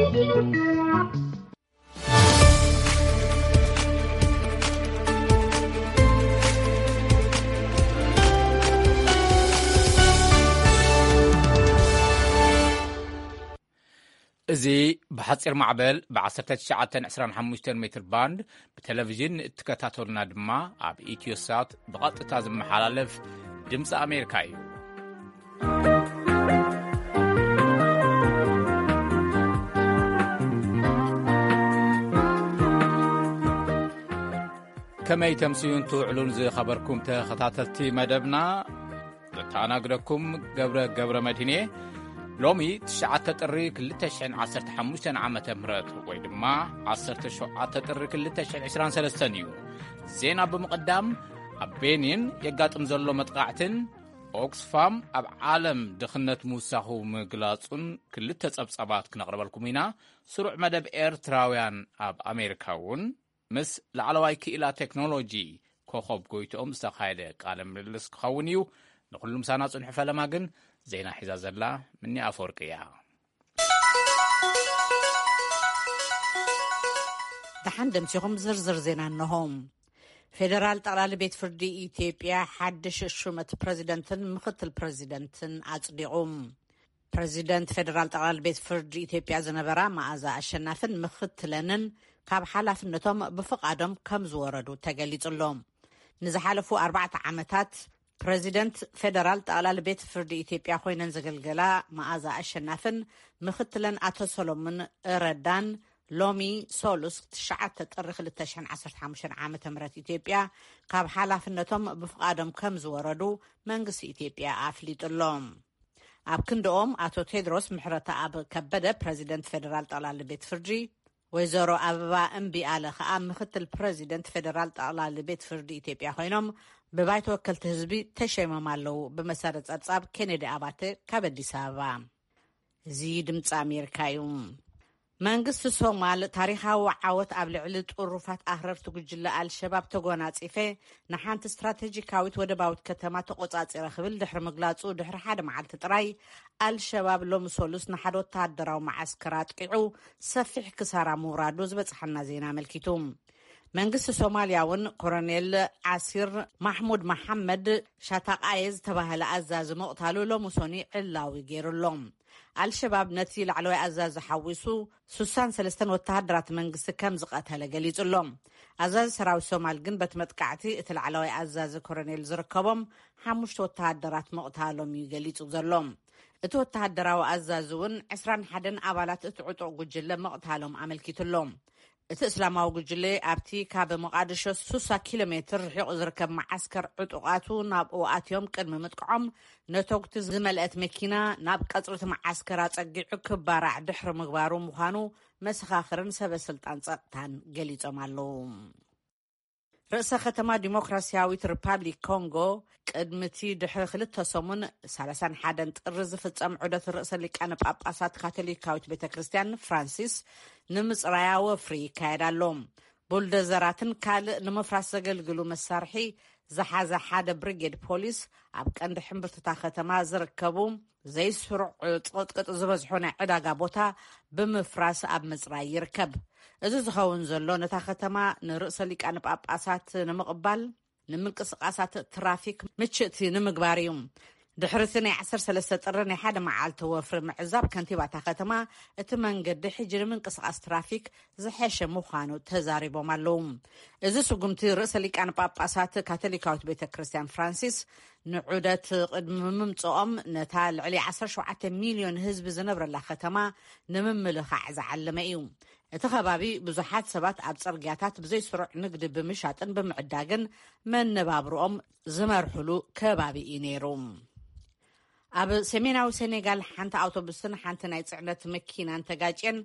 እዚ ብሓጺር ማዕበል ብ1925 ሜትር ባንድ ብቴሌቪዥን እትከታተሉና ድማ ኣብ ኢትዮሳት ብቐጥታ ዝመሓላለፍ ድምፂ ኣሜሪካ እዩ። ከመይ ተምስዩን ትውዕሉን ዝኸበርኩም ተኸታተልቲ መደብና? ዘተኣናግደኩም ገብረ ገብረ መድህን እየ። ሎሚ ትሽዓተ ጥሪ ክልተ ሽሕን ዓሰርተ ሓሙሽተን ዓመተ ምህረት ወይ ድማ ዓሰርተ ሸውዓተ ጥሪ ክልተ ሽሕን ዕስራን ሰለስተን እዩ። ዜና ብምቕዳም፣ ኣብ ቤኒን የጋጥም ዘሎ መጥቃዕትን ኦክስፋም ኣብ ዓለም ድኽነት ምውሳኹ ምግላጹን ክልተ ጸብጻባት ክነቕርበልኩም ኢና። ስሩዕ መደብ ኤርትራውያን ኣብ ኣሜሪካ እውን ምስ ላዕለዋይ ክኢላ ቴክኖሎጂ ኮኸብ ጎይትኦም ዝተኻየደ ቃለ ምልልስ ክኸውን እዩ። ንኹሉ ምሳና ጽንሑ። ፈለማ ግን ዜና ሒዛ ዘላ ምኒ ኣፈወርቂ እያ። ደሓን ደምሲኹም ዝርዝር ዜና እንሆ። ፌደራል ጠቕላሊ ቤት ፍርዲ ኢትዮጵያ ሓድሽ ሹመት ፕረዚደንትን ምኽትል ፕረዚደንትን ኣጽዲቑ። ፕረዚደንት ፌደራል ጠቕላሊ ቤት ፍርዲ ኢትዮጵያ ዝነበራ መኣዛ ኣሸናፍን ምኽትለንን ካብ ሓላፍነቶም ብፍቓዶም ከም ዝወረዱ ተገሊጹ ኣሎ። ንዝሓለፉ ኣርባዕተ ዓመታት ፕረዚደንት ፌደራል ጠቕላሊ ቤት ፍርዲ ኢትዮጵያ ኮይነን ዘገልገላ መኣዛ ኣሸናፍን ምኽትለን ኣቶ ሰሎሙን ረዳን ሎሚ ሶሉስ ትሽዓተ ጥሪ ክልተ ሽሕን ዓሰርተ ሓሙሽተን ዓመተ ምህረት ኢትዮጵያ ካብ ሓላፍነቶም ብፍቓዶም ከም ዝወረዱ መንግስቲ ኢትዮጵያ ኣፍሊጡ ኣሎ። ኣብ ክንድኦም ኣቶ ቴድሮስ ምሕረተኣብ ከበደ ፕረዚደንት ፌደራል ጠቕላሊ ቤት ፍርዲ፣ ወይዘሮ ኣበባ እምቢኣለ ከኣ ምኽትል ፕረዚደንት ፌደራል ጠቕላሊ ቤት ፍርዲ ኢትዮጵያ ኮይኖም ብባይቶ ወከልቲ ህዝቢ ተሸይሞም ኣለዉ። ብመሰረት ጸብጻብ ኬኔዲ ኣባተ ካብ ኣዲስ ኣበባ። እዚ ድምፂ ኣሜሪካ እዩ። መንግስቲ ሶማል ታሪኻዊ ዓወት ኣብ ልዕሊ ጥሩፋት ኣኽረርቲ ጉጅለ ኣልሸባብ ተጎናጺፈ፣ ንሓንቲ ስትራቴጂካዊት ወደባዊት ከተማ ተቆጻጺረ ክብል ድሕሪ ምግላጹ፣ ድሕሪ ሓደ መዓልቲ ጥራይ ኣልሸባብ ሎሚ ሶሉስ ንሓደ ወተሃደራዊ መዓስከር ኣጥቂዑ ሰፊሕ ክሳራ ምውራዱ ዝበጽሓና ዜና ኣመልኪቱ። መንግስቲ ሶማልያ እውን ኮሎኔል ዓሲር ማሕሙድ መሓመድ ሻታቃየ ዝተባህለ ኣዛዚ ምቕታሉ ሎሚ ሶኒ ዕላዊ ገይሩ ኣሎ። ኣልሸባብ ነቲ ላዕለዋይ ኣዛዚ ሓዊሱ ሱሳን ሰለስተን ወተሃደራት መንግስቲ ከም ዝቐተለ ገሊጹ ኣሎ። ኣዛዚ ሰራዊት ሶማል ግን በቲ መጥቃዕቲ እቲ ላዕለዋይ ኣዛዚ ኮሎኔል ዝርከቦም ሓሙሽተ ወተሃደራት ምቕታሎም እዩ ገሊጹ ዘሎ። እቲ ወተሃደራዊ ኣዛዚ እውን ዕስራን ሓደን ኣባላት እቲ ዕጡቕ ጉጅለ ምቕታሎም ኣመልኪቱ ኣሎ። እቲ እስላማዊ ጉጅለ ኣብቲ ካብ መቓድሾ ሱሳ ኪሎ ሜትር ርሒቑ ዝርከብ መዓስከር ዕጡቓቱ ናብኡ ኣትዮም ቅድሚ ምጥቅዖም፣ ነተጉቲ ዝመልአት መኪና ናብ ቀጽሪ እቲ መዓስከር ኣጸጊዑ ክባራዕ ድሕሪ ምግባሩ ምዃኑ መሰኻኽርን ሰበ ስልጣን ጸጥታን ገሊጾም ኣለዉ። ርእሰ ከተማ ዲሞክራሲያዊት ሪፓብሊክ ኮንጎ፣ ቅድሚ እቲ ድሕሪ ክልተ ሰሙን ሰላሳን ሓደን ጥሪ ዝፍጸም ዑደት ርእሰ ሊቃነ ጳጳሳት ካቶሊካዊት ቤተ ክርስቲያን ፍራንሲስ፣ ንምጽራያ ወፍሪ ይካየድ ኣሎ። ቡልደዘራትን ካልእ ንምፍራስ ዘገልግሉ መሳርሒ ዝሓዘ ሓደ ብሪጌድ ፖሊስ ኣብ ቀንዲ ሕምብርትታ ከተማ ዝርከቡ ዘይስሩዕ ጽቕጥቅጥ ዝበዝሖ ናይ ዕዳጋ ቦታ ብምፍራስ ኣብ ምጽራይ ይርከብ። እዚ ዝኸውን ዘሎ፣ ነታ ከተማ ንርእሰ ሊቃነ ጳጳሳት ንምቕባል፣ ንምንቅስቓሳት ትራፊክ ምችእቲ ንምግባር እዩ። ድሕሪ እቲ ናይ ዓሰርተ ሰለስተ ጥሪ ናይ ሓደ መዓልቲ ወፍሪ ምዕዛብ፣ ከንቲባ እታ ከተማ፣ እቲ መንገዲ ሕጂ ንምንቅስቓስ ትራፊክ ዝሐሸ ምዃኑ ተዛሪቦም ኣለዉ። እዚ ስጉምቲ፣ ርእሰ ሊቃነ ጳጳሳት ካቶሊካዊት ቤተ ክርስቲያን ፍራንሲስ ንዑደት ቅድሚ ምምጽኦም፣ ነታ ልዕሊ ዓሰርተ ሸውዓተ ሚልዮን ህዝቢ ዝነብረላ ከተማ ንምምልኻዕ ዝዓለመ እዩ። እቲ ከባቢ፣ ብዙሓት ሰባት ኣብ ጽርግያታት ብዘይ ስሩዕ ንግዲ ብምሻጥን ብምዕዳግን መነባብሮኦም ዝመርሕሉ ከባቢ እዩ ነይሩ። ኣብ ሰሜናዊ ሴኔጋል፣ ሓንቲ ኣውቶቡስን ሓንቲ ናይ ጽዕነት መኪናን ተጋጭየን፣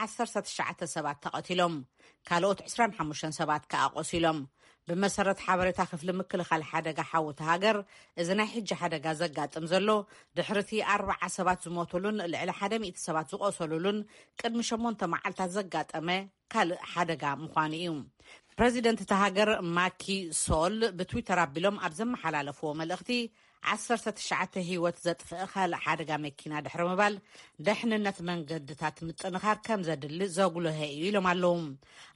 ዓሰርተ ትሽዓተ ሰባት ተቐቲሎም፣ ካልኦት ዕስራን ሓሙሽተን ሰባት ከኣ ቆሲሎም። ብመሰረት ሓበሬታ ክፍሊ ምክልኻል ሓደጋ ሓዊ እታ ሃገር፣ እዚ ናይ ሕጂ ሓደጋ ዘጋጥም ዘሎ፣ ድሕሪ እቲ ኣርብዓ ሰባት ዝሞቱሉን ልዕሊ ሓደ ሚእቲ ሰባት ዝቆሰሉሉን ቅድሚ ሸሞንተ መዓልታት ዘጋጠመ ካልእ ሓደጋ ምዃኑ እዩ። ፕረዚደንት እታ ሃገር ማኪ ሶል ብትዊተር ኣቢሎም ኣብ ዘመሓላለፍዎ መልእኽቲ፣ ዓሰርተ ትሽዓተ ህይወት ዘጥፍእ ካልእ ሓደጋ መኪና ድሕሪ ምባል፣ ደሕንነት መንገድታት ምጥንኻር ከም ዘድሊ ዘጉልሀ እዩ ኢሎም ኣለዉ።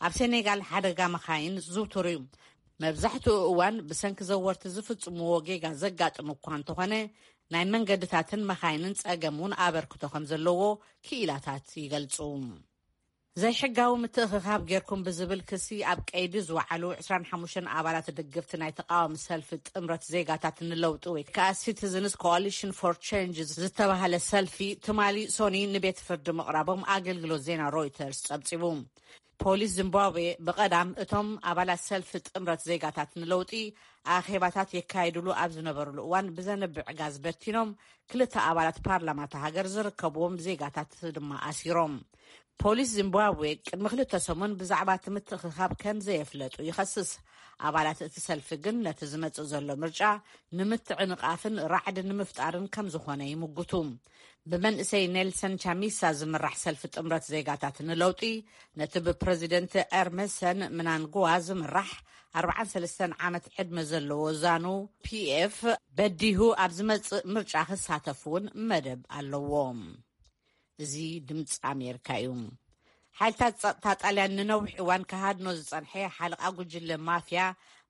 ኣብ ሴኔጋል ሓደጋ መኻይን ዝውቱር እዩ። መብዛሕትኡ እዋን ብሰንኪ ዘወርቲ ዝፍጽምዎ ጌጋ ዘጋጥም እኳ እንተኾነ፣ ናይ መንገድታትን መኻይንን ጸገም እውን ኣበርክቶ ከም ዘለዎ ክኢላታት ይገልጹ። ዘይሕጋዊ ምትእኽኻብ ጌርኩም ብዝብል ክሲ ኣብ ቀይዲ ዝወዓሉ ዕስራን ሓሙሽተን ኣባላት ድግፍቲ ናይ ተቃዋሚ ሰልፊ ጥምረት ዜጋታት ንለውጢ ወይ ከዓ Citizens Coalition for Change ዝተባህለ ሰልፊ ትማሊ ሶኒ ንቤት ፍርዲ ምቕራቦም ኣገልግሎት ዜና ሮይተርስ ጸብጺቡ። ፖሊስ ዚምባብዌ ብቐዳም እቶም ኣባላት ሰልፊ ጥምረት ዜጋታት ንለውጢ ኣኼባታት የካይድሉ ኣብ ዝነበርሉ እዋን ብዘንብዕ ጋዝ በቲኖም ክልተ ኣባላት ፓርላማ እታ ሃገር ዝርከብዎም ዜጋታት ድማ ኣሲሮም። ፖሊስ ዚምባብዌ ቅድሚ ክልተ ሰሙን ብዛዕባ እቲ ምትእኽኻብ ከም ዘየፍለጡ ይኸስስ። ኣባላት እቲ ሰልፊ ግን ነቲ ዝመጽእ ዘሎ ምርጫ ንምትዕንቓፍን ራዕዲ ንምፍጣርን ከም ዝኾነ ይምጉቱ። ብመንእሰይ ኔልሰን ቻሚሳ ዝምራሕ ሰልፊ ጥምረት ዜጋታት ንለውጢ፣ ነቲ ብፕረዚደንት ኤርመሰን ምናንግዋ ዝምራሕ ኣርባዓን ሰለስተን ዓመት ዕድመ ዘለዎ ዛኑ ፒኤፍ በዲሁ ኣብ ዝመጽእ ምርጫ ክሳተፍ እውን መደብ ኣለዎ። እዚ ድምፂ ኣሜሪካ እዩ። ሓይልታት ጸጥታ ጣልያን ንነዊሕ እዋን ክሃድኖ ዝጸንሐ ሓለቓ ጉጅለ ማፍያ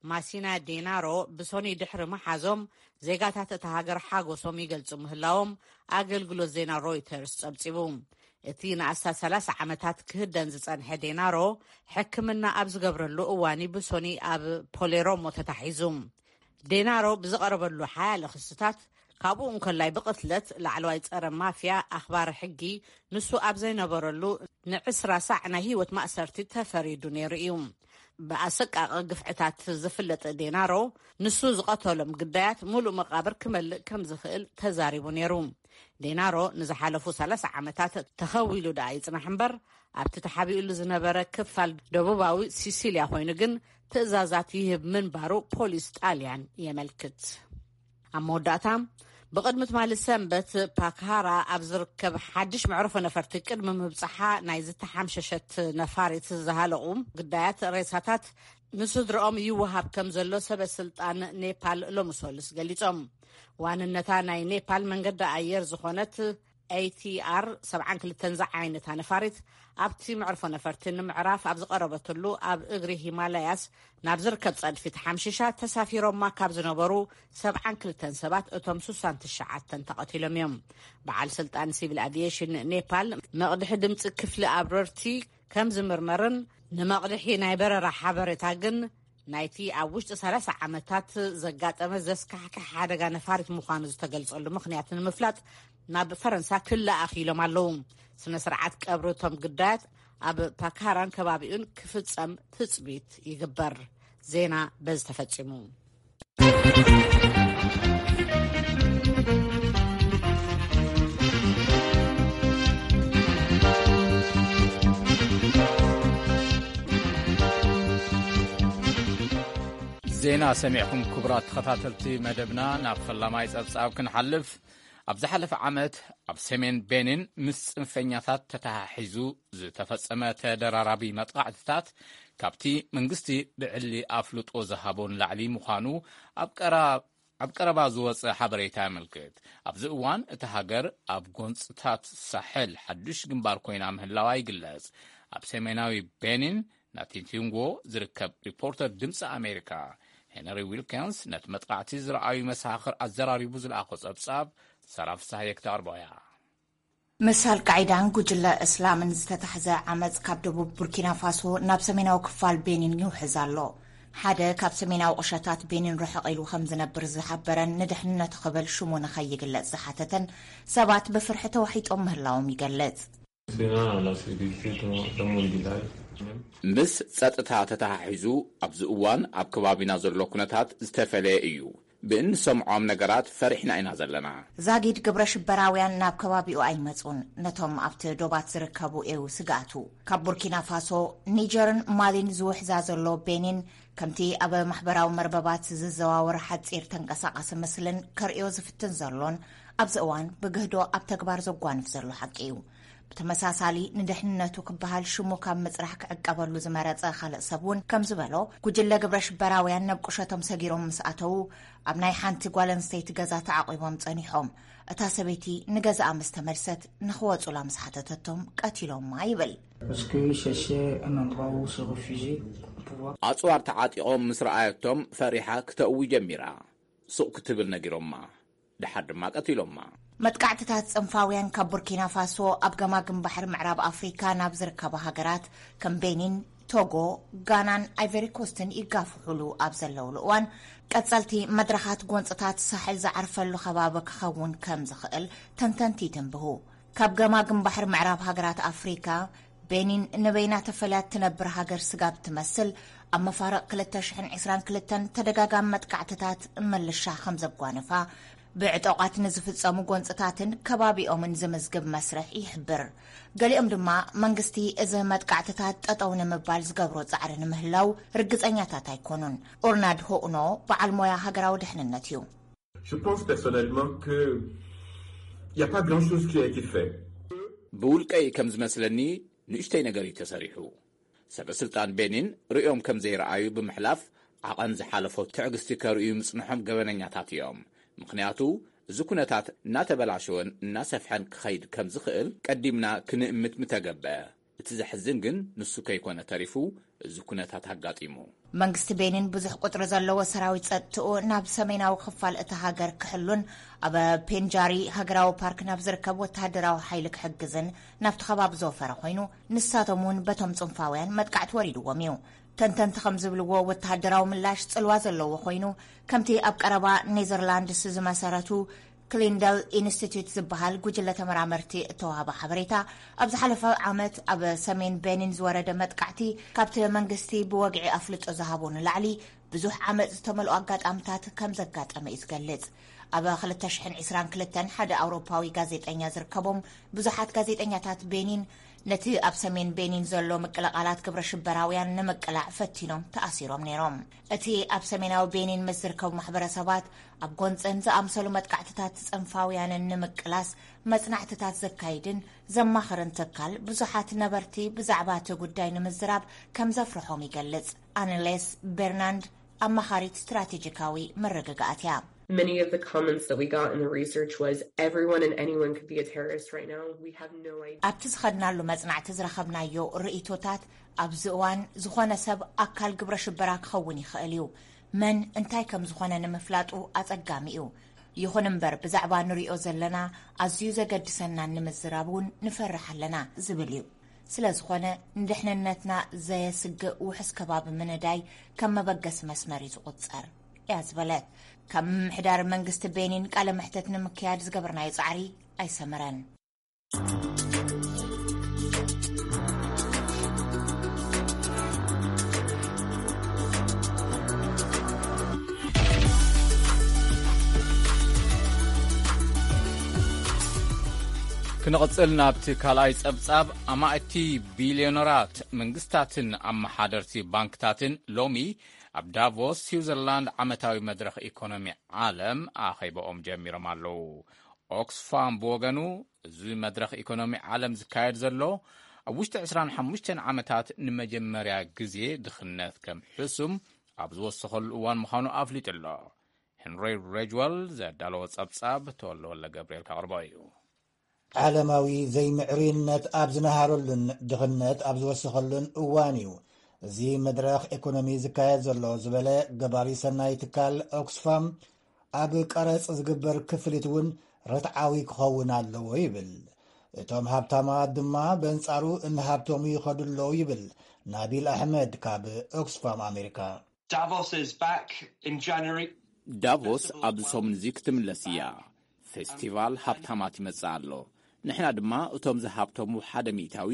ማሲና ዴናሮ ብሶኒ ድሕሪ ምሓዞም፣ ዜጋታት እታ ሃገር ሓጎሶም ይገልጹ ምህላዎም ኣገልግሎት ዜና ሮይተርስ ጸብጺቡ። እቲ ንኣስታት ሰላሳ ዓመታት ክህደን ዝጸንሐ ዴናሮ፣ ሕክምና ኣብ ዝገብረሉ እዋን ብሶኒ ኣብ ፖሌሮሞ ተታሒዙ። ዴናሮ ብዝቐረበሉ ሓያለ ክስታት፣ ካብኡ እንከላይ ብቕትለት ላዕለዋይ ጸረ ማፍያ ኣኽባሪ ሕጊ፣ ንሱ ኣብ ዘይነበረሉ ንዕስራ ሳዕ ናይ ህይወት ማእሰርቲ ተፈሪዱ ነይሩ እዩ። ብኣሰቃቂ ግፍዕታት ዝፍለጥ ዴናሮ፣ ንሱ ዝቐተሎም ግዳያት ሙሉእ መቓብር ክመልእ ከም ዝኽእል ተዛሪቡ ነይሩ። ዴናሮ ንዝሓለፉ ሰላሳ ዓመታት ተኸዊሉ ደኣ ይጽናሕ እምበር፣ ኣብቲ ተሓቢኡሉ ዝነበረ ክፋል ደቡባዊ ሲሲልያ ኮይኑ ግን ትእዛዛት ይህብ ምንባሩ ፖሊስ ጣልያን የመልክት። ኣብ መወዳእታ፣ ብቕድሚ ትማሊ ሰንበት ፓክሃራ ኣብ ዝርከብ ሓድሽ መዕርፎ ነፈርቲ ቅድሚ ምብጻሓ ናይ ዝተሓምሸሸት ነፋሪት ዝሃለቑ ግዳያት ሬሳታት ንስድርኦም ይወሃብ ከም ዘሎ ሰበ ስልጣን ኔፓል ሎሚ ሰሉስ ገሊጾም። ዋንነታ ናይ ኔፓል መንገዲ ኣየር ዝኾነት ኤቲኣር ሰብዓን ክልተን ዝዓይነታ ነፋሪት ኣብቲ መዕርፎ ነፈርቲ ንምዕራፍ ኣብ ዝቐረበትሉ ኣብ እግሪ ሂማላያስ ናብ ዝርከብ ጸድፊ ተሓምሺሻ ተሳፊሮማ ካብ ዝነበሩ ሰብዓን ክልተን ሰባት እቶም ስሳን ትሽዓተን ተቐቲሎም እዮም። በዓል ስልጣን ሲቪል ኣቪዬሽን ኔፓል መቕድሒ ድምፂ ክፍሊ ኣብረርቲ ከም ዝምርመርን ንመቕድሒ ናይ በረራ ሓበሬታ ግን ናይቲ ኣብ ውሽጢ ሰላሳ ዓመታት ዘጋጠመ ዘስካሕክሕ ሓደጋ ነፋሪት ምዃኑ ዝተገልጸሉ ምኽንያት ንምፍላጥ ናብ ፈረንሳ ክለኣኽ ኢሎም ኣለዉ። ስነ ስርዓት ቀብሪ እቶም ግዳያት ኣብ ፓካራን ከባቢኡን ክፍጸም ትጽቢት ይግበር። ዜና በዚ ተፈጺሙ። ዜና ሰሚዕኩም ክቡራት ተኸታተልቲ መደብና፣ ናብ ፈላማይ ጸብጻብ ክንሓልፍ። ኣብ ዝሓለፈ ዓመት ኣብ ሰሜን ቤኒን ምስ ጽንፈኛታት ተተሓሒዙ ዝተፈጸመ ተደራራቢ መጥቓዕትታት፣ ካብቲ መንግስቲ ብዕሊ ኣፍልጦ ዝሃቦ ንላዕሊ ምዃኑ ኣብ ቀራ-፣ ኣብ ቀረባ ዝወጸ ሓበሬታ የመልክት። ኣብዚ እዋን እታ ሃገር ኣብ ጎንጽታት ሳሕል ሓዱሽ ግንባር ኮይና ምህላዋ ይግለጽ። ኣብ ሰሜናዊ ቤኒን ናቲንቲንጎ ዝርከብ ሪፖርተር ድምፂ ኣሜሪካ ሄነሪ ዊልኪንስ ነቲ መጥቃዕቲ ዝረኣዩ መሰኻኽር ኣዘራሪቡ ዝለኣኾ ጸብጻብ ሰራ ፍስሃየ ክተቕርቦ እያ። ምስ ኣልቃዒዳን ጉጅለ እስላምን ዝተታሕዘ ዓመጽ ካብ ደቡብ ቡርኪና ፋሶ ናብ ሰሜናዊ ክፋል ቤኒን ይውሕዝ ኣሎ። ሓደ ካብ ሰሜናዊ ቁሸታት ቤኒን ርሕቕ ኢሉ ከም ዝነብር ዝሓበረን ንድሕንነቱ ክብል ሽሙ ንኸይግለጽ ዝሓተተን ሰባት ብፍርሒ ተዋሒጦም ምህላዎም ይገልጽ። ምስ ጸጥታ ተተሓሒዙ ኣብዚ እዋን ኣብ ከባቢና ዘሎ ኩነታት ዝተፈለየ እዩ። ብእንሰምዖም ነገራት ፈሪሕና ኢና ዘለና። ዛጊድ ግብረ ሽበራውያን ናብ ከባቢኡ ኣይመጹን። ነቶም ኣብቲ ዶባት ዝርከቡ እዩ ስግኣቱ። ካብ ቡርኪና ፋሶ፣ ኒጀርን ማሊን ዝውሕዛ ዘሎ ቤኒን፣ ከምቲ ኣብ ማሕበራዊ መርበባት ዝዘዋወር ሓጺር ተንቀሳቓሲ ምስልን ከርእዮ ዝፍትን ዘሎን፣ ኣብዚ እዋን ብግህዶ ኣብ ተግባር ዘጓንፍ ዘሎ ሓቂ እዩ። ብተመሳሳሊ፣ ንድሕንነቱ ክበሃል ሽሙ ካብ ምጽራሕ ክዕቀበሉ ዝመረጸ ካልእ ሰብ እውን ከም ዝበሎ፣ ጉጅለ ግብረ ሽበራውያን ናብ ቁሸቶም ሰጊሮም ምስ ኣተዉ፣ ኣብ ናይ ሓንቲ ጓል ኣንስተይቲ ገዛ ተዓቒቦም ጸኒሖም። እታ ሰበይቲ ንገዛኣ ምስ ተመልሰት፣ ንኽወጹላ ምስ ሓተተቶም ቀቲሎማ ይብል። Parce que chercher un endroit où se réfugier pour pouvoir. ኣጽዋር ተዓጢቖም ምስ ረኣየቶም ፈሪሓ ክተእዊ ጀሚራ። ሱቕ ክትብል ነጊሮማ። ድሓር ድማ ቀቲሎማ። መጥቃዕትታት ጽንፋውያን ካብ ቡርኪና ፋሶ፣ ኣብ ገማግም ባሕሪ ምዕራብ ኣፍሪካ ናብ ዝርከባ ሃገራት ከም ቤኒን፣ ቶጎ፣ ጋናን ኣይቨሪ ኮስትን ይጋፍሑሉ ኣብ ዘለውሉ እዋን፣ ቀጸልቲ መድረኻት ጎንጽታት ሳሕል ዝዓርፈሉ ከባቢ ክኸውን ከም ዝኽእል ተንተንቲ ይትንብሁ። ካብ ገማግም ባሕሪ ምዕራብ ሃገራት ኣፍሪካ፣ ቤኒን ንበይና ተፈልያ እትነብር ሃገር ስጋብ ትመስል፣ ኣብ መፋርቕ ክልተ ሽሕን ዕስራን ክልተን ተደጋጋሚ መጥቃዕትታት ምልሻ ከም ዘጓነፋ፣ ብዕጡቓት ንዝፍጸሙ ጎንጽታትን ከባቢኦምን ዝምዝግብ መስርሕ ይሕብር። ገሊኦም ድማ፣ መንግስቲ እዚ መጥቃዕትታት ጠጠው ንምባል ዝገብሮ ጻዕሪ ንምህላው ርግጸኛታት ኣይኮኑን። ኦርናድ ሆኡኖ በዓል ሞያ ሃገራዊ ድሕንነት እዩ። Je pense personnellement que il n'y a pas grand chose qui a été fait. ብውልቀይ ከም ዝመስለኒ፣ ንእሽተይ ነገር እዩ ተሰሪሑ። ሰበ ስልጣን ቤኒን ርእዮም ከም ዘይረኣዩ ብምሕላፍ፣ ዓቐን ዝሓለፎ ትዕግስቲ ከርእዩ ምጽንሖም ገበነኛታት እዮም። ምኽንያቱ፣ እዚ ኩነታት እናተበላሸወን እናሰፍሐን ክኸይድ ከም ዝኽእል ቀዲምና ክንእምት ምተገበ። እቲ ዘሕዝን ግን፣ ንሱ ከይኮነ ተሪፉ፣ እዚ ኩነታት ኣጋጢሙ። መንግስቲ ቤኒን ብዙሕ ቁጽሪ ዘለዎ ሰራዊት ጸጥትኡ ናብ ሰሜናዊ ክፋል እታ ሃገር ክሕሉን ኣብ ፔንጃሪ ሃገራዊ ፓርክ ናብ ዝርከብ ወተሃደራዊ ሓይሊ ክሕግዝን ናብቲ ከባቢ ዘወፈረ ኮይኑ፣ ንሳቶም እውን በቶም ጽንፋውያን መጥቃዕቲ ወሪድዎም እዩ። ተንተንቲ ከም ዝብልዎ፣ ወተሃደራዊ ምላሽ ጽልዋ ዘለዎ ኮይኑ፣ ከምቲ ኣብ ቀረባ ኔዘርላንድስ ዝመሰረቱ ክሊንደል ኢንስቲትዩት ዝበሃል ጉጅለ ተመራመርቲ እተዋህበ ሓበሬታ፣ ኣብ ዝሓለፈ ዓመት ኣብ ሰሜን ቤኒን ዝወረደ መጥቃዕቲ፣ ካብቲ መንግስቲ ብወግዒ ኣፍልጦ ዝሃቦ ንላዕሊ ብዙሕ ዓመጽ ዝተመልኦ ኣጋጣምታት ከም ዘጋጠመ እዩ ዝገልጽ። ኣብ ክልተ ሽሕን ዕስራን ክልተን ሓደ ኣውሮፓዊ ጋዜጠኛ ዝርከቦም ብዙሓት ጋዜጠኛታት ቤኒን፣ ነቲ ኣብ ሰሜን ቤኒን ዘሎ ምቅልቓላት ግብረ ሽበራውያን ንምቅላዕ ፈቲኖም ተኣሲሮም ነይሮም። እቲ ኣብ ሰሜናዊ ቤኒን ምስ ዝርከቡ ማሕበረሰባት ኣብ ጎንጽን ዝኣምሰሉ መጥቃዕትታት ጽንፋውያንን ንምቅላስ መጽናዕትታት ዘካይድን ዘማኽርን ትካል፣ ብዙሓት ነበርቲ ብዛዕባ እቲ ጉዳይ ንምዝራብ ከም ዘፍርሖም ይገልጽ። ኣነሌስ ቤርናንድ ኣማኻሪት ስትራቴጂካዊ መረጋጋእቲ እያ። Many of the comments that we got in the research was everyone and anyone could be a terrorist right now. We have no idea. ኣብቲ ዝኸድናሉ መጽናዕቲ ዝረኸብናዮ ርእይቶታት፣ ኣብዚ እዋን ዝኾነ ሰብ ኣካል ግብረ ሽበራ ክኸውን ይኽእል እዩ። መን እንታይ ከም ዝኾነ ንምፍላጡ ኣጸጋሚ እዩ። ይኹን እምበር፣ ብዛዕባ ንሪኦ ዘለና ኣዝዩ ዘገድሰናን ንምዝራብ እውን ንፈርሕ ኣለና ዝብል እዩ። ስለ ዝኾነ፣ ንድሕንነትና ዘየስግእ ውሑስ ከባቢ ምንዳይ ከም መበገሲ መስመር እዩ ዝቑጸር እያ ዝበለት። ካብ ምምሕዳር መንግስቲ ቤኒን ቃለ መሕተት ንምክያድ ዝገበርናዮ ጻዕሪ ኣይሰመረን። ክንቕጽል ናብቲ ካልኣይ ጸብጻብ። ኣማእቲ ቢልዮነራት መንግስታትን ኣመሓደርቲ ባንክታትን ሎሚ ኣብ ዳቮስ ስዊዘርላንድ ዓመታዊ መድረኽ ኢኮኖሚ ዓለም ኣኼባኦም ጀሚሮም ኣለዉ። ኦክስፋም ብወገኑ፣ እዚ መድረኽ ኢኮኖሚ ዓለም ዝካየድ ዘሎ ኣብ ውሽጢ ዕስራን ሓሙሽተን ዓመታት ንመጀመርያ ግዜ ድኽነት ከም ሕሱም ኣብ ዝወሰኸሉ እዋን ምዃኑ ኣፍሊጡ ኣሎ። ሄንሪ ሬጅዋል ዘዳለዎ ጸብጻብ ተወልደወልደ ገብርኤል ከቕርቦ እዩ። ዓለማዊ ዘይምዕሩይነት ኣብ ዝነሃረሉን ድኽነት ኣብ ዝወሰኸሉን እዋን እዩ እዚ መድረኽ ኢኮኖሚ ዝካየድ ዘሎ ዝበለ ገባሪ ሰናይ ትካል ኦክስፋም፣ ኣብ ቀረጽ ዝግበር ክፍሊት እውን ርትዓዊ ክኸውን ኣለዎ ይብል። እቶም ሃብታማት ድማ በንጻሩ እንሃብቶሙ ይኸዱ ኣለዉ ይብል ናቢል ኣሕመድ ካብ ኦክስፋም ኣሜሪካ። Davos is back in January. ዳቮስ ኣብዚ ሰሙን እዚ ክትምለስ እያ። ፌስቲቫል ሃብታማት ይመጽእ ኣሎ። ንሕና ድማ እቶም ዝሃብተሙ ሓደ ሚእታዊ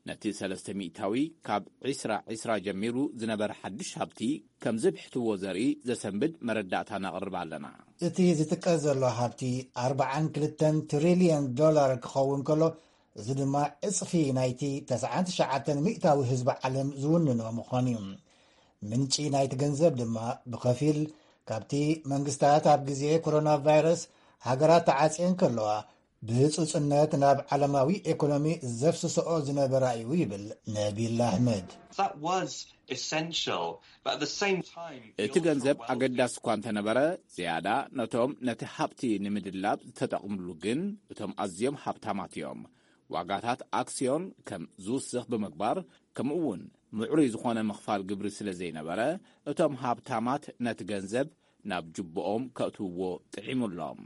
ነቲ ሰለስተ ሚእታዊ ካብ ዕስራ ዕስራ ጀሚሩ ዝነበረ ሓድሽ ሃብቲ ከም ዝብሕትዎ ዘርኢ ዘሰንብድ መረዳእታ ነቕርብ ኣለና። እቲ ዝጥቀስ ዘሎ ሃብቲ ኣርባዓን ክልተን ትሪልዮን ዶላር ክኸውን ከሎ፣ እዚ ድማ ዕጽፊ ናይቲ ተስዓን ትሽዓተን ሚእታዊ ህዝቢ ዓለም ዝውንኖ ምዃኑ እዩ። ምንጪ ናይቲ ገንዘብ ድማ ብኸፊል ካብቲ መንግስታት ኣብ ግዜ ኮሮና ቫይረስ ሃገራት ተዓጽየን ከለዋ ብህጹጽነት ናብ ዓለማዊ ኤኮኖሚ ዘፍስስኦ ዝነበራ እዩ ይብል ነቢል ኣሕመድ። That was essential, but at the same time, he እቲ also ገንዘብ wealthy ኣገዳሲ እኳ እንተነበረ፣ ዝያዳ ነቶም ነቲ ሃብቲ ንምድላብ ዝተጠቕምሉ ግን እቶም ኣዝዮም ሃብታማት እዮም። ዋጋታት ኣክስዮን ከም ዝውስኽ ብምግባር፣ ከምኡ እውን ምዕሩይ ዝኾነ ምኽፋል ግብሪ ስለ ዘይነበረ፣ እቶም ሃብታማት ነቲ ገንዘብ ናብ ጅቦኦም ከእትውዎ ጥዒሙሎም።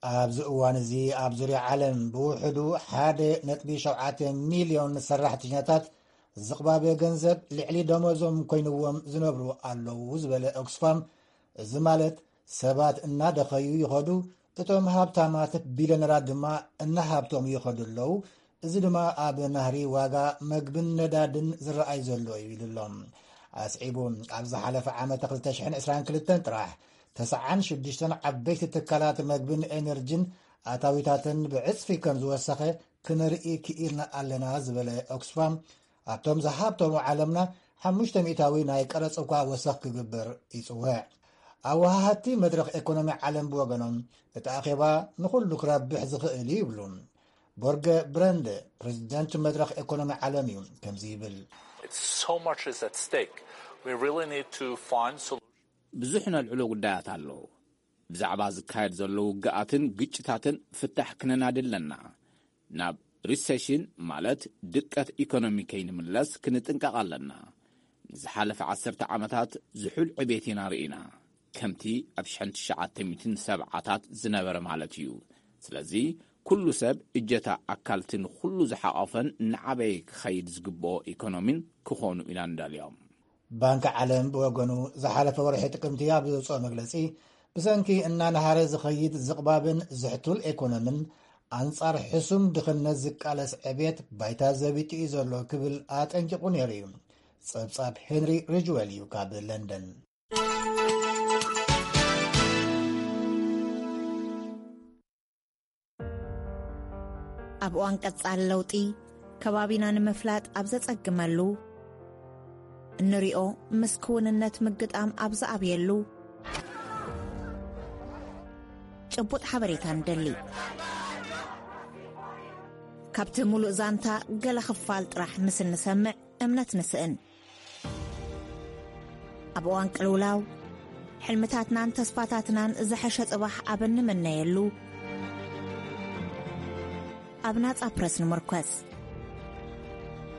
ኣብዚ እዋን እዚ ኣብ ዙርያ ዓለም ብውሕዱ ሓደ ነጥቢ ሸውዓተ ሚልዮን ሰራሕተኛታት ዝቕባበ ገንዘብ ልዕሊ ደሞዞም ኮይንዎም ዝነብሩ ኣለዉ ዝበለ ኦክስፋም፣ እዚ ማለት ሰባት እናደኸዩ ይኸዱ፣ እቶም ሃብታማት ቢልዮነራት ድማ እናሃብቶም ይኸዱ ኣለዉ። እዚ ድማ ኣብ ናህሪ ዋጋ መግብን ነዳድን ዝረኣይ ዘሎ እዩ ኢሉ ኣሎ። ኣስዒቡ፣ ኣብ ዝሓለፈ ዓመት ክልተ ሽሕን ዕስራን ክልተን ጥራሕ ተስዓን ሽዱሽተን ዓበይቲ ትካላት መግብን ኤነርጂን ኣታዊታተን ብዕፅፊ ከም ዝወሰኸ ክንርኢ ክኢልና ኣለና ዝበለ ኦክስፋም፣ ኣብቶም ዝሃብተሙ ዓለምና ሓሙሽተ ሚእታዊ ናይ ቀረፅ እኳ ወሰኽ ክግበር ይፅውዕ። ኣወሃሃድቲ መድረኽ ኤኮኖሚ ዓለም ብወገኖም፣ እቲ ኣኼባ ንኹሉ ክረብሕ ዝኽእል እዩ ይብሉ። ቦርገ ብረንደ፣ ፕሬዚደንት መድረኽ ኤኮኖሚ ዓለም እዩ፣ ከምዚ ይብል። So much is at stake. We really need to find solutions. ብዙሕ ነልዕሎ ጉዳያት ኣሎ። ብዛዕባ ዝካየድ ዘሎ ውግኣትን ግጭታትን ፍታሕ ክነናዲ ኣለና። ናብ ሪሰሽን፣ ማለት ድቀት ኢኮኖሚ ከይንምለስ ክንጥንቀቕ ኣለና። ንዝሓለፈ ዓሰርተ ዓመታት ዝሑል ዕቤት ኢና ርኢና፣ ከምቲ ኣብ ሽሕን ትሽዓተ ሚእትን ሰብዓታት ዝነበረ ማለት እዩ። ስለዚ ኩሉ ሰብ እጀታ ኣካልቲ ንኹሉ ዝሓቖፈን እናዓበየ ክኸይድ ዝግብኦ ኢኮኖሚን ክኾኑ ኢና ንደልዮም። ባንኪ ዓለም ብወገኑ ዝሓለፈ ወርሒ ጥቅምቲ ኣብ ዘውፅኦ መግለፂ፣ ብሰንኪ እናነሃረ ዝኸይድ ዝቕባብን ዝሕቱል ኤኮኖምን ኣንጻር ሕሱም ድኽነት ዝቃለስ ዕቤት ባይታ ዘቢጡ እዩ ዘሎ ክብል ኣጠንቂቑ ነይሩ እዩ። ጸብጻብ ሄንሪ ሪጅዌል እዩ ካብ ለንደን። ኣብ እዋን ቀጻሊ ለውጢ፣ ከባቢና ንምፍላጥ ኣብ ዘጸግመሉ፣ እንሪኦ ምስ ክውንነት ምግጣም ኣብ ዝኣብየሉ፣ ጭቡጥ ሓበሬታ ንደሊ። ካብቲ ሙሉእ ዛንታ ገለ ክፋል ጥራሕ ምስ እንሰምዕ እምነት ንስእን። ኣብ እዋን ቅልውላው፣ ሕልምታትናን ተስፋታትናን ዝሐሸ ጽባሕ ኣብ እንምነየሉ፣ ኣብ ናጻ ፕረስ ንምርኮስ።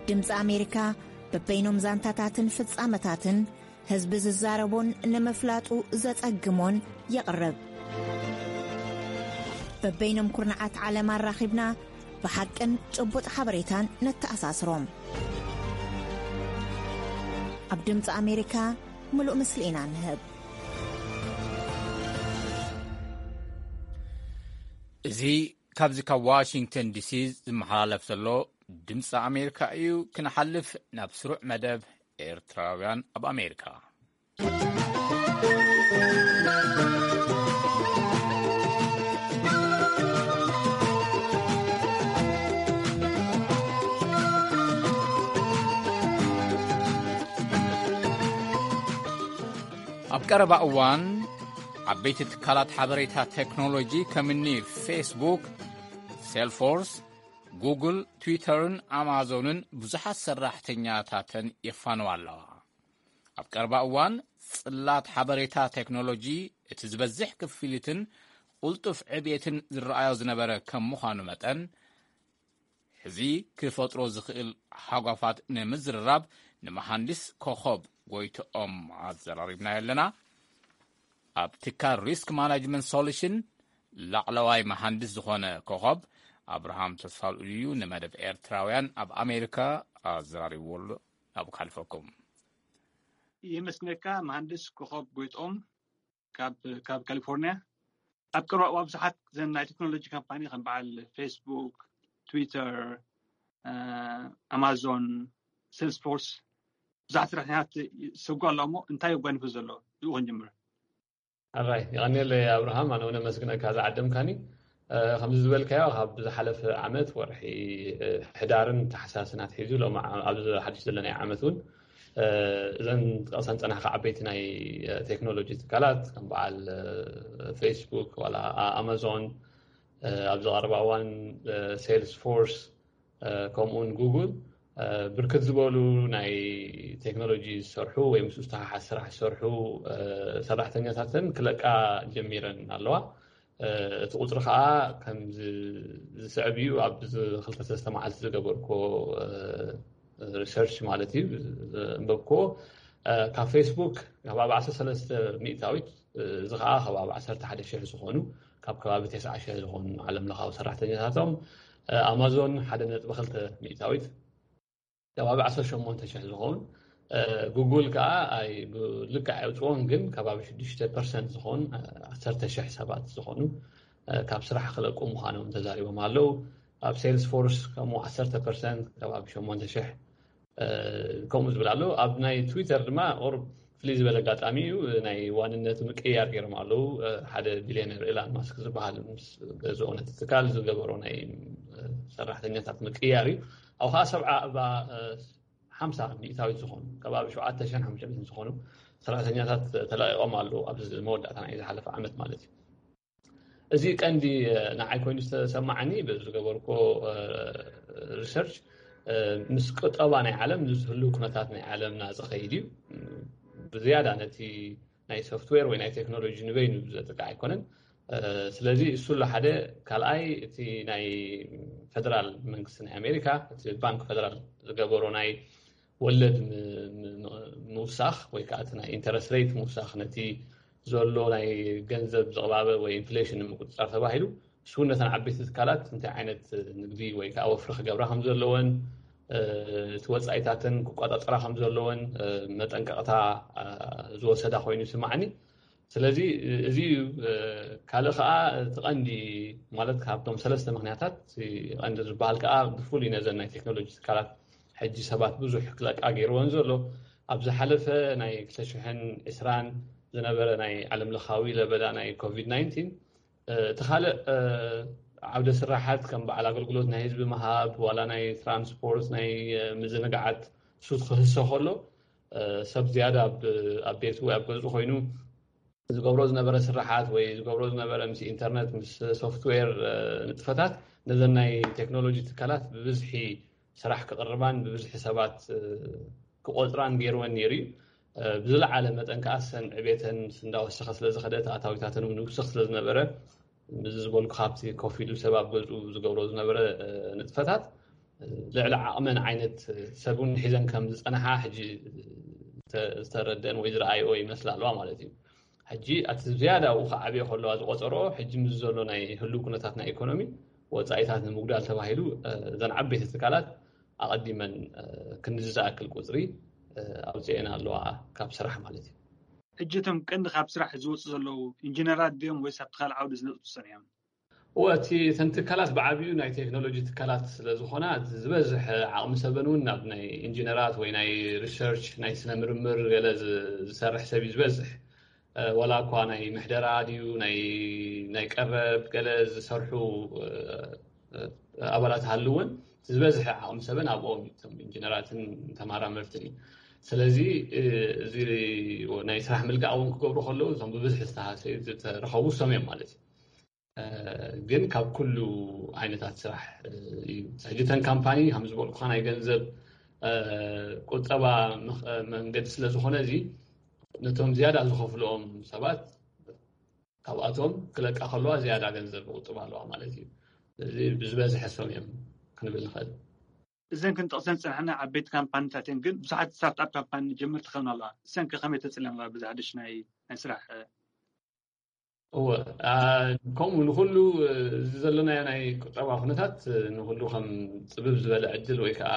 ድምጺ ኣሜሪካ፣ በበይኖም ዛንታታትን ፍጻመታትን ህዝቢ ዝዛረቦን ንምፍላጡ ዘጸግሞን የቕርብ። በበይኖም ኩርናዓት ዓለም ኣራኺብና፣ ብሓቅን ጭቡጥ ሓበሬታን ነተኣሳስሮም። ኣብ ድምጺ ኣሜሪካ፣ ምሉእ ምስሊ ኢና ንህብ። እዚ ካብዚ ካብ ዋሽንግተን ዲሲ ዝመሓላለፍ ዘሎ ድምፂ ኣሜሪካ እዩ። ክንሓልፍ ናብ ስሩዕ መደብ ኤርትራውያን ኣብ ኣሜሪካ። ኣብ ቀረባ እዋን ዓበይቲ ትካላት ሓበሬታ ቴክኖሎጂ ከምኒ ፌስቡክ፣ ሴልፎርስ፣ ጉግል፣ ትዊተርን ኣማዞንን ብዙሓት ሰራሕተኛታተን የፋንዋ ኣለዋ። ኣብ ቀረባ እዋን ጽላት ሓበሬታ ቴክኖሎጂ እቲ ዝበዝሕ ክፍሊትን ቁልጡፍ ዕብየትን ዝረኣዮ ዝነበረ ከም ምዃኑ መጠን፣ ሕዚ ክፈጥሮ ዝኽእል ሓጓፋት ንምዝርራብ ንመሃንዲስ ኮኸብ ጎይትኦም ኣዘራሪብናዮ ኣለና። ኣብ ትካል ሪስክ ማናጅመንት ሶሉሽን ላዕለዋይ መሃንዲስ ዝኾነ ኮኸብ ኣብርሃም ተስፋልኡል እዩ ንመደብ ኤርትራውያን ኣብ ኣሜሪካ ኣዘራሪብዎ ኣሎ። ናብኡ ክሓልፈኩም። የመስግነካ መሃንድስ ኮኸብ ጎይጦም ካብ ካብ ካሊፎርኒያ። ኣብ ቀረባ እዋን ብዙሓት ዘን ናይ ቴክኖሎጂ ካምፓኒ ከም በዓል ፌስቡክ፣ ትዊተር፣ ኣማዞን፣ ሴልስፎርስ ብዙሓት ሰራሕተኛታት ዝሰጉ ኣለዉ እሞ እንታይ የጓንፉ ዘሎ? ብኡ ክንጅምር። ኣራይ የቐንየለይ ኣብርሃም፣ ኣነ እውን ኣመስግነካ ዝዓደምካኒ። ከምዚ ዝበልካዮ ካብ ዝሓለፈ ዓመት ወርሒ ሕዳርን ታሕሳስን ኣትሒዙ ሎም ኣብዚ ሓድሽ ዘለናዮ ዓመት እውን እዘን ጠቕሰን ፀናሕካ ዓበይቲ ናይ ቴክኖሎጂ ትካላት ከም በዓል ፌስቡክ ዋላ ኣማዞን ኣብዚ ቀረባ እዋን ሴልስ ፎርስ ከምኡውን ጉግል ብርክት ዝበሉ ናይ ቴክኖሎጂ ዝሰርሑ ወይ ምስ ዝተሓሓዝ ስራሕ ዝሰርሑ ሰራሕተኛታትን ክለቃ ጀሚረን ኣለዋ። እቲ ቁፅሪ ከዓ ከም ዝስዕብ እዩ። ኣብ ክልተ ሰለስተ መዓልቲ ዝገበርኮ ሪሰርች ማለት እዩ፣ ዘንበብኮ ካብ ፌስቡክ ከባቢ ዓሰርተ ሰለስተ ሚእታዊት፣ እዚ ከዓ ከባቢ ዓሰርተ ሓደ ሽሕ ዝኾኑ፣ ካብ ከባቢ ተስዓ ሽሕ ዝኾኑ ዓለም ለኻዊ ሰራሕተኛታቶም፣ ኣማዞን ሓደ ነጥቢ ክልተ ሚእታዊት፣ ከባቢ ዓሰርተ ሸሞንተ ሽሕ ዝኸውን፣ ጉግል ከዓ ኣይ ብልክዕ ኣይውፅዎን፣ ግን ከባቢ ሽዱሽተ ፐርሰንት ዝኾኑ፣ ዓሰርተ ሽሕ ሰባት ዝኾኑ ካብ ስራሕ ክለቁ ምዃኖም ተዛሪቦም ኣለዉ። ኣብ ሴልስ ፎርስ ከምኡ ዓሰርተ ፐርሰንት ከባቢ ሸሞንተ ሽሕ ከምኡ ዝብል ኣሎ። ኣብ ናይ ትዊተር ድማ ቁሩብ ፍልይ ዝበለ ኣጋጣሚ እዩ፣ ናይ ዋንነት ምቅያር ገይሮም ኣለዉ። ሓደ ቢልዮነር ኤላን ማስክ ዝበሃል ምስ ገዝኦ ነቲ ትካል ዝገበሮ ናይ ሰራሕተኛታት ምቅያር እዩ። ኣብ ከዓ ሰብዓ እባ ሓምሳ ሚእታዊት ዝኾኑ ከባቢ ሸውዓተ ሽሕን ሓሙሽተ ሚእትን ዝኾኑ ሰራሕተኛታት ተለቂቖም ኣለዉ ኣብዚ መወዳእታ ናይ ዝሓለፈ ዓመት ማለት እዩ። እዚ ቀንዲ ንዓይ ኮይኑ ዝተሰማዓኒ በዚ ዝገበርኮ ሪሰርች ምስ ቁጠባ ናይ ዓለም ምስ ህልው ኩነታት ናይ ዓለምና ዝኸይድ እዩ። ብዝያዳ ነቲ ናይ ሶፍትዌር ወይ ናይ ቴክኖሎጂ ንበይኑ ዘጥቃዕ ኣይኮነን። ስለዚ እሱ ኣሎ ሓደ። ካልኣይ እቲ ናይ ፌደራል መንግስቲ ናይ ኣሜሪካ እቲ ባንክ ፌደራል ዝገበሮ ናይ ወለድ ምውሳኽ ወይ ከዓ እቲ ናይ ኢንተረስት ሬት ምውሳኽ ነቲ ዘሎ ናይ ገንዘብ ዝቕባበ ወይ ኢንፍሌሽን ንምቁፅፃር ተባሂሉ እሱ እውን ነተን ዓበይቲ ትካላት እንታይ ዓይነት ንግዲ ወይ ከዓ ወፍሪ ክገብራ ከም ዘለወን እቲ ወፃኢታትን ክቆፃፀራ ከም ዘለወን መጠንቀቕታ ዝወሰዳ ኮይኑ ይስማዓኒ። ስለዚ እዚ እዩ። ካልእ ከዓ እቲ ቀንዲ ማለት ካብቶም ሰለስተ ምክንያታት ቀንዲ ዝበሃል ከዓ ብፍሉይ ነዘን ናይ ቴክኖሎጂ ትካላት ሕጂ ሰባት ብዙሕ ክለቃ ገይርዎን ዘሎ ኣብ ዝሓለፈ ናይ ክልተ ሽሕን ዕስራን ዝነበረ ናይ ዓለም ለኻዊ ለበዳ ናይ ኮቪድ ናይንቲን እቲ ካልእ ዓውደ ስራሓት ከም በዓል ኣገልግሎት ናይ ህዝቢ ምሃብ ዋላ ናይ ትራንስፖርት ናይ ምዝንጋዓት ሱት ክህሰ ከሎ ሰብ ዝያዳ ኣብ ቤቱ ወይ ኣብ ገዝኡ ኮይኑ ዝገብሮ ዝነበረ ስራሓት ወይ ዝገብሮ ዝነበረ ምስ ኢንተርነት ምስ ሶፍትዌር ንጥፈታት ነዘን ናይ ቴክኖሎጂ ትካላት ብብዝሒ ስራሕ ክቕርባን ብብዝሒ ሰባት ክቆፅራን ገይርወን ነይሩ እዩ። ብዝለዓለ መጠን ከዓ ሰን ዕቤተን እንዳወሰኸ ስለዝኸደ ኣታዊታተን እውን ይውስኽ ስለዝነበረ እዚ ዝበልኩ ካብቲ ኮፍ ኢሉ ሰብ ኣብ ገዝኡ ዝገብሮ ዝነበረ ንጥፈታት ልዕሊ ዓቕመን ዓይነት ሰብ እውን ሒዘን ከም ዝፀንሓ ሕጂ ዝተረደአን ወይ ዝረኣይኦ ይመስላ ኣለዋ ማለት እዩ። ሕጂ ኣቲ ዝያዳ ኡ ከዓብዮ ከለዋ ዝቆፀሮ ሕጂ ምስ ዘሎ ናይ ህልው ኩነታት ናይ ኢኮኖሚ ወፃኢታት ንምጉዳል ተባሂሉ እዘን ዓበይቲ ትካላት ኣቐዲመን ክንዝኣክል ቁፅሪ ኣውፅኤን ኣለዋ ካብ ስራሕ ማለት እዩ። ሕጂ እቶም ቀንዲ ካብ ስራሕ ዝወፁ ዘለዉ ኢንጂነራት ድዮም ወይስ ኣብቲ ካልእ ዓውዲ ዝነጥፉ ሰን እዮም? እወ እቲ እተን ትካላት ብዓብዩ ናይ ቴክኖሎጂ ትካላት ስለ ዝኾና እቲ ዝበዝሕ ዓቕሚ ሰበን እውን ናብ ናይ ኢንጂነራት ወይ ናይ ሪሰርች ናይ ስነ ምርምር ገለ ዝሰርሕ ሰብ እዩ ዝበዝሕ። ዋላ እኳ ናይ ምሕደራ ድዩ ናይ ናይ ቀረብ ገለ ዝሰርሑ ኣባላት ሃልውን ዝበዝሐ ዓቕሚ ሰበን ኣብኦም እቶም ኢንጂነራትን ተማራመርትን እዩ። ስለዚ እዚ ናይ ስራሕ ምልቃ እውን ክገብሩ ከለዉ እዞም ብብዝሒ ዝተሃሰዩ ዝተረኸቡ እሶም እዮም ማለት እዩ። ግን ካብ ኩሉ ዓይነታት ስራሕ እዩ። ሕጂ እተን ካምፓኒ ከም ዝበልኩካ ናይ ገንዘብ ቁጠባ መንገዲ ስለ ዝኾነ እዚ ነቶም ዝያዳ ዝኸፍልኦም ሰባት ካብኣቶም ክለቃ ከለዋ ዝያዳ ገንዘብ ቁጥብ ኣለዋ ማለት እዩ። እዚ ብዝበዝሐ ሰም እዮም ክንብል ንኽእል። እዘን ክንጠቕሰን ዝፀናሕና ዓበይቲ ካምፓኒታት እየን፣ ግን ብዙሓት ስታርትኣፕ ካምፓኒ ጀመርቲ ክኸውን ኣለዋ። እሰን ከ ከመይ ተፅለን ኣለዋ በዚ ሓደሽ ናይ ናይ ስራሕ? እወ ከምኡ ንኩሉ እዚ ዘለናዮ ናይ ቁጠባ ኩነታት ንኩሉ ከም ፅብብ ዝበለ ዕድል ወይ ከዓ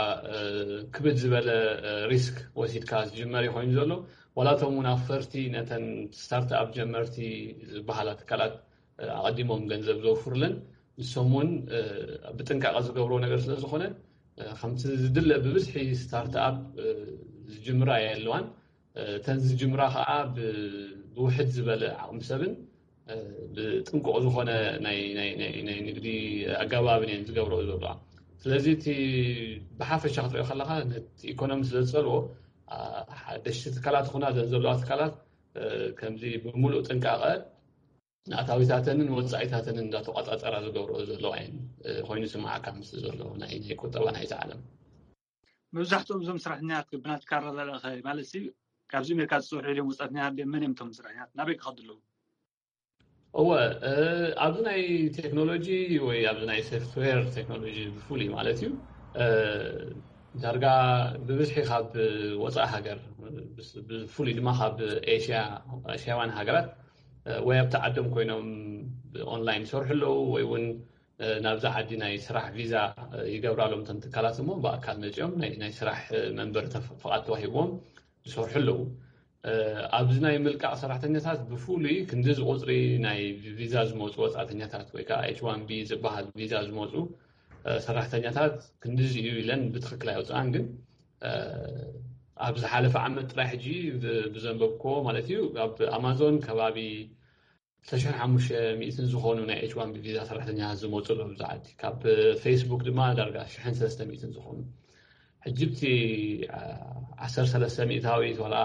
ክብድ ዝበለ ሪስክ ወሲድካ ዝጅመር እዩ ኮይኑ ዘሎ። ዋላ እቶም እውን ኣፈርቲ ነተን ስታርትኣፕ ጀመርቲ ዝበሃላ ትካላት ኣቐዲሞም ገንዘብ ዘውፍሩለን ንሶም እውን ብጥንቃቐ ዝገብርዎ ነገር ስለ ዝኾነ ከምቲ ዝድለ ብብዝሒ ስታርትኣፕ ዝጅምራ የለዋን። እተን ዝጅምራ ከዓ ብውሕድ ዝበለ ዓቕሚ ሰብን ብጥንቁቕ ዝኾነ ናይ ንግዲ ኣገባብን እየን ዝገብረኦ ዘለዋ። ስለዚ እቲ ብሓፈሻ ክትሪኦ ከለካ ነቲ ኢኮኖሚ ስለ ዝፀልዎ ሓደሽቲ ትካላት ይኹና ዘን ዘለዋ ትካላት ከምዚ ብምሉእ ጥንቃቐ ንኣታዊታተንን ወፃኢታተንን እንዳተቋፃፀራ ዝገብርኦ ዘለዋ እየን ኮይኑ ስማዓካ ምስ ዘሎ ናይ ናይ ቁጠባ ናይዚ ዓለም። መብዛሕትኦም እዞም ስራሕኛት ብናትካ ኣረዳድኣ ማለት ካብዚ ኣሜሪካ ዝፅውሑ ኢሎም ወፃእተኛታት ድዮም? መን እዮም እቶም ስራሕኛት? ናበይ ክኸዱ ኣለዉ? እወ፣ ኣብዚ ናይ ቴክኖሎጂ ወይ ኣብዚ ናይ ሶፍትዌር ቴክኖሎጂ ብፍሉይ ማለት እዩ፣ ዳርጋ ብብዝሒ ካብ ወፃኢ ሃገር፣ ብፍሉይ ድማ ካብ ኤሽያ፣ ኤሽያውያን ሃገራት ወይ ኣብቲ ዓዶም ኮይኖም ብኦንላይን ይሰርሑ ኣለዉ ወይ እውን ናብዛ ዓዲ ናይ ስራሕ ቪዛ ይገብራሎም እተን ትካላት እሞ ብኣካል መፂኦም ናይ ስራሕ መንበሪ ፍቓድ ተዋሂብዎም ዝሰርሑ ኣለዉ። ኣብዚ ናይ ምልቃቕ ሰራሕተኛታት ብፍሉይ ክንድዚ ቁፅሪ ናይ ቪዛ ዝመፁ ወፃእተኛታት ወይ ከዓ ኤች ዋን ቢ ዝበሃል ቪዛ ዝመፁ ሰራሕተኛታት ክንድዚ እዩ ኢለን ብትኽክል ኣይወፅኣን። ግን ኣብ ዝሓለፈ ዓመት ጥራይ ሕጂ ብዘንበብክዎ ማለት እዩ ኣብ ኣማዞን ከባቢ ክልተ ሽሕን ሓሙሽተ ሚእትን ዝኾኑ ናይ ኤች ዋን ቢ ቪዛ ሰራሕተኛታት ዝመፁ ኣለዉ ኣብዚ ዓዲ። ካብ ፌስቡክ ድማ ዳርጋ ሽሕን ሰለስተ ሚእትን ዝኾኑ። ሕጂ እቲ ዓሰርተ ሰለስተ ሚእታዊት ዋላ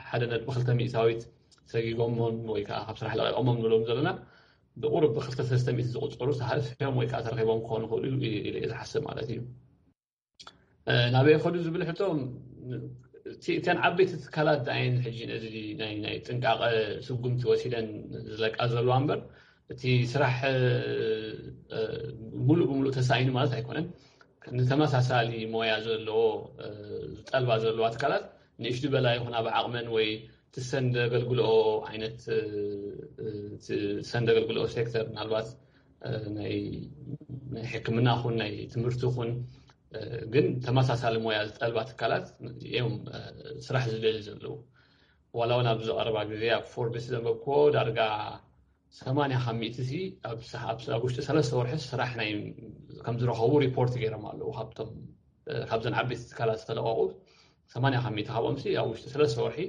ሓደ ነጥቢ ክልተ ሚእታዊት ሰጊጎሞም ወይ ከዓ ካብ ስራሕ ለቂቆሞም ንብሎም ዘለና ብቁሩብ ብክልተ ሰለስተ ሚእቲ ዝቁፀሩ ተሃስዮም ወይ ከዓ ተረኪቦም ክኾኑ ይኽእሉ ኢለ እየ ዝሓስብ ማለት እዩ። ናበይ ከዱ ዝብል ሕቶ እተን ዓበይቲ ትካላት ዳይን ሕጂ ነዚ ናይ ጥንቃቐ ስጉምቲ ወሲደን ዝለቃ ዘለዋ እምበር እቲ ስራሕ ሙሉእ ብሙሉእ ተሳኢኑ ማለት ኣይኮነን። ንተመሳሳሊ ሞያ ዘለዎ ዝጠልባ ዘለዋ ትካላት ንእሽቱ በላ ይኹን ኣብ ዓቕመን ወይ ትሰንደ ኣገልግልኦ ዓይነት ትሰንደ ኣገልግልኦ ሴክተር ምናልባት ናይ ሕክምና ኹን ናይ ትምህርቲ ኹን ግን ተመሳሳሊ ሞያ ዝጠልባ ትካላት እዮም ስራሕ ዝደሊ ዘለዉ። ዋላ እውን ኣብዚ ቀረባ ግዜ ኣብ ፎርብስ ዘንበብክዎ ዳርጋ ሰማንያ ካብ ሚእቲ ሲ ኣብ ውሽጢ ሰለስተ ወርሒ ስራሕ ናይ ከም ዝረኸቡ ሪፖርት ገይሮም ኣለዉ። ካብቶም ካብዘን ዓበይቲ ትካላት ዝተለቀቁ ሰማንያ ካብ ሚእቲ ካብኦም ሲ ኣብ ውሽጢ ሰለስተ ወርሒ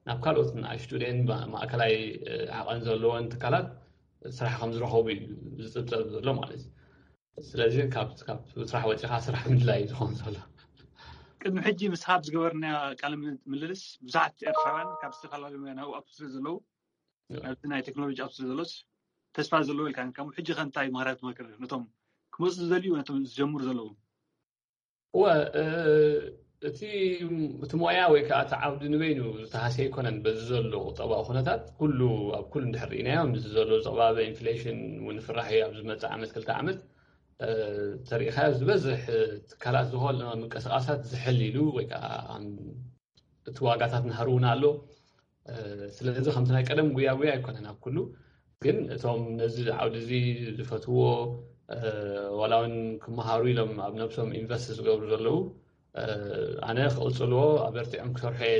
ናብ ካልኦት ንኣሽቱ ደን ማእከላይ ዓቐን ዘለዎን ትካላት ስራሕ ከም ዝረኸቡ እዩ ዝፅብፀብ ዘሎ ማለት እዩ። ስለዚ ካብ ስራሕ ወፂኻ ስራሕ ምድላይ እዩ ዝኸውን ዘሎ። ቅድሚ ሕጂ ምስ ሃብ ዝገበርና ቃለ ምልልስ ብዙሓት ኤርትራውያን ካብ ዝተፈላለዩ ናይ ኣብቱ ስለ ዘለዉ ናብቲ ናይ ቴክኖሎጂ ኣብቱ ስለ ዘሎስ ተስፋ ዘለዎ ኢልካ ከም ሕጂ ከ እንታይ ማህራት መክር ነቶም ክመፁ ዝደልዩ ነቶም ዝጀምሩ ዘለዉ? እወ፣ እቲ እቲ ሞያ ወይ ከዓ እቲ ዓውዲ ንበይኑ ዝተሃስየ ኣይኮነን። በዚ ዘሎ ቁጠባዊ ኩነታት ኩሉ ኣብ ኩሉ እንድሕር ርኢናዮ ምስዚ ዘሎ ጸባበ ኢንፍሌሽን እውን ፍራሕ እዩ። ኣብ ዝመጽእ ዓመት ክልተ ዓመት ተሪኢኻዮ ዝበዝሕ ትካላት ዝኾነ ምንቅስቃሳት ዝሕል ኢሉ ወይ ከዓ እቲ ዋጋታት ናህር እውን ኣሎ። ስለዚ ከምቲ ናይ ቀደም ጉያ ጉያ ኣይኮነን ኣብ ኩሉ። ግን እቶም ነዚ ዓውዲ እዚ ዝፈትዎ ዋላ እውን ክመሃሩ ኢሎም ኣብ ነብሶም ኢንቨስት ዝገብሩ ዘለዉ ኣነ ክቕፅልዎ ኣበርቲዖም ክሰርሑ እየ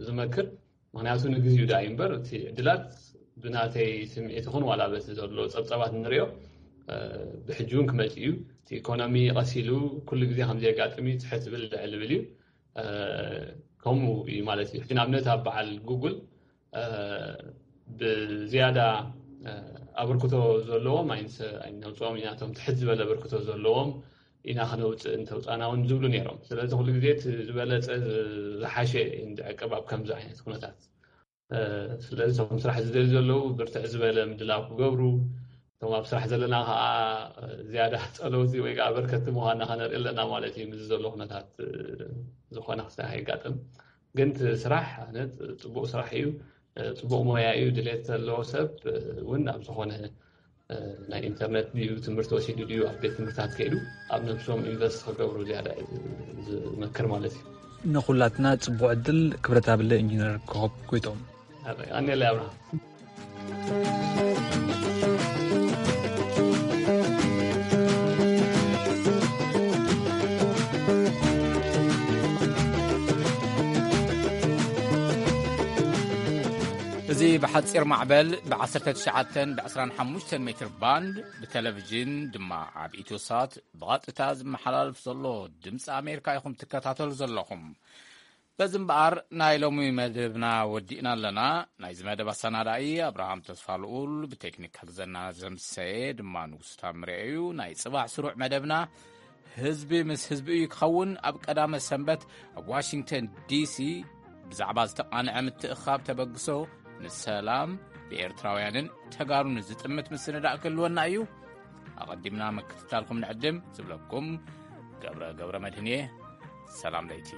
ዝመክር። ምክንያቱ ንግዜኡ ዳ እዩ እምበር እቲ ዕድላት ብናተይ ስምዒት ይኹን ዋላ በቲ ዘሎ ፀብፀባት ንሪኦ ብሕጂ እውን ክመፅእ እዩ። እቲ ኢኮኖሚ ቀሲሉ ኩሉ ግዜ ከምዘየጋጥም እዩ ትሕት ዝብል ልዕል ዝብል እዩ። ከምኡ እዩ ማለት እዩ። ሕጂ ንኣብነት ኣብ በዓል ጉግል ብዝያዳ ኣበርክቶ ዘለዎም ኣይነውፅኦም ኢና፣ እቶም ትሕት ዝበለ ኣበርክቶ ዘለዎም ኢና ክነውፅእ እንተውፃና እውን ዝብሉ ነይሮም። ስለዚ ኩሉ ግዜ እቲ ዝበለፀ ዝሓሸ እንድዕቅብ ኣብ ከምዚ ዓይነት ኩነታት። ስለዚ እቶም ስራሕ ዝደልዩ ዘለዉ ብርትዕ ዝበለ ምድላው ክገብሩ፣ እቶም ኣብ ስራሕ ዘለና ከዓ ዝያዳ ፀለውቲ ወይ ከዓ በርከቲ ምዃንና ከነርኢ ኣለና ማለት እዩ። ምስ ዘሎ ኩነታት ዝኾነ ክስታይ ከይጋጥም ግን እቲ ስራሕ ኣነ ፅቡቅ ስራሕ እዩ፣ ፅቡቅ ሞያ እዩ። ድሌት ዘለዎ ሰብ እውን ኣብ ዝኾነ ናይ ኢንተርነት ድዩ ትምህርቲ ወሲዱ ድዩ ኣብ ቤት ትምህርታት ከይዱ ኣብ ነብሶም ኢንቨስት ክገብሩ ዝያዳ ዝመክር ማለት እዩ። ንኩላትና ፅቡቅ ዕድል። ክብረት ኣብለ ኢንጂነር ኮኾብ ጎይቶም። ኣኔለ ኣብርሃም። እዚ ብሓፂር ማዕበል ብ19 ብ25 ሜትር ባንድ ብቴሌቪዥን ድማ ኣብ ኢትዮሳት ብቐጥታ ዝመሓላልፍ ዘሎ ድምፂ ኣሜሪካ ኢኹም ትከታተሉ ዘለኹም። በዚ እምበኣር ናይ ሎሚ መደብና ወዲእና ኣለና። ናይዚ መደብ ኣሰናዳኢ ኣብርሃም ተስፋ ልኡል፣ ብቴክኒክ ክሕግዘና ዘምሰየ ድማ ንጉስ ታምሬ እዩ። ናይ ጽባሕ ስሩዕ መደብና ህዝቢ ምስ ህዝቢ እዩ ክኸውን። ኣብ ቀዳመ ሰንበት ኣብ ዋሽንግተን ዲሲ ብዛዕባ ዝተቓንዐ ምትእኻብ ተበግሶ ንሰላም ብኤርትራውያንን ተጋሩን ዝጥምት ምስንዳእ ክህልወና እዩ። ኣቐዲምና ምክትታልኩም ንዕድም ዝብለኩም ገብረ ገብረ መድህን እየ። ሰላም ለይቲ።